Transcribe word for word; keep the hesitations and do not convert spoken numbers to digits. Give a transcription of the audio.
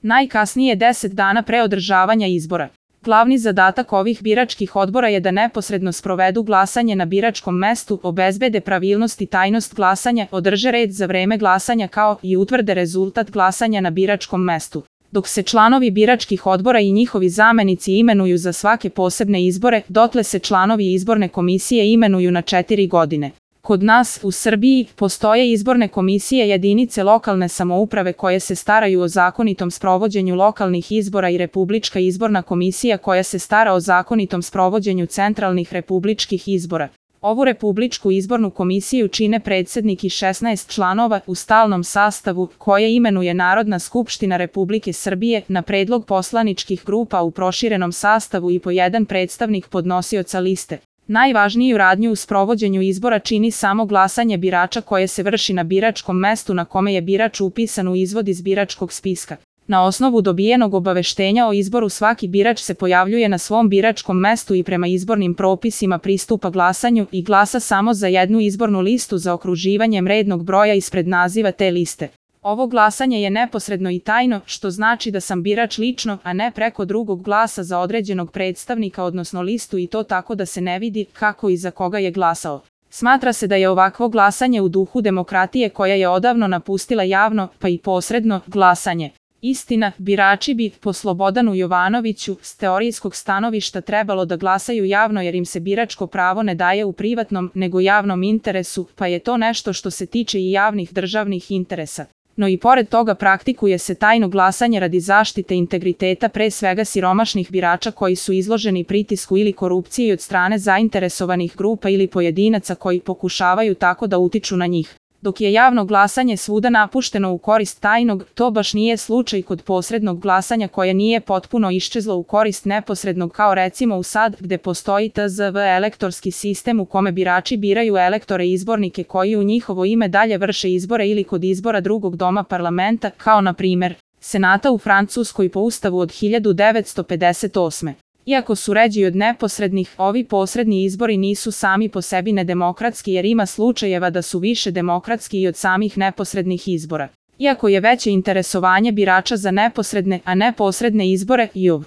najkasnije deset dana pre održavanja izbora. Glavni zadatak ovih biračkih odbora je da neposredno sprovedu glasanje na biračkom mestu, obezbede pravilnost i tajnost glasanja, održe red za vreme glasanja kao i utvrde rezultat glasanja na biračkom mestu. Dok se članovi biračkih odbora i njihovi zamenici imenuju za svake posebne izbore, dotle se članovi izborne komisije imenuju na četiri godine. Kod nas, u Srbiji, postoje izborne komisije jedinice lokalne samouprave koje se staraju o zakonitom sprovođenju lokalnih izbora i Republička izborna komisija koja se stara o zakonitom sprovođenju centralnih republičkih izbora. Ovu Republičku izbornu komisiju čine predsednik i šesnaest članova u stalnom sastavu koje imenuje Narodna skupština Republike Srbije na predlog poslaničkih grupa u proširenom sastavu i po jedan predstavnik podnosioca liste. Najvažniju radnju u sprovođenju izbora čini samo glasanje birača koje se vrši na biračkom mestu na kome je birač upisan u izvod iz biračkog spiska. Na osnovu dobijenog obaveštenja o izboru svaki birač se pojavljuje na svom biračkom mestu i prema izbornim propisima pristupa glasanju i glasa samo za jednu izbornu listu zaokruživanjem rednog broja ispred naziva te liste. Ovo glasanje je neposredno i tajno, što znači da sam birač lično, a ne preko drugog glasa za određenog predstavnika odnosno listu i to tako da se ne vidi kako i za koga je glasao. Smatra se da je ovakvo glasanje u duhu demokratije koja je odavno napustila javno, pa i posredno, glasanje. Istina, birači bi, po Slobodanu Jovanoviću, s teorijskog stanovišta trebalo da glasaju javno jer im se biračko pravo ne daje u privatnom, nego javnom interesu, pa je to nešto što se tiče i javnih državnih interesa. No i pored toga praktikuje se tajno glasanje radi zaštite integriteta pre svega siromašnih birača koji su izloženi pritisku ili korupciji od strane zainteresovanih grupa ili pojedinaca koji pokušavaju tako da utiču na njih. Dok je javno glasanje svuda napušteno u korist tajnog, to baš nije slučaj kod posrednog glasanja koje nije potpuno iščezlo u korist neposrednog kao recimo u Sad gde postoji T Z V elektorski sistem u kome birači biraju elektore izbornike koji u njihovo ime dalje vrše izbore ili kod izbora drugog doma parlamenta kao na primer Senata u Francuskoj po ustavu od hiljadu devetsto pedeset osme. Iako su ređi od neposrednih, ovi posredni izbori nisu sami po sebi nedemokratski jer ima slučajeva da su više demokratski i od samih neposrednih izbora. Iako je veće interesovanje birača za neposredne, a ne posredne izbore, J U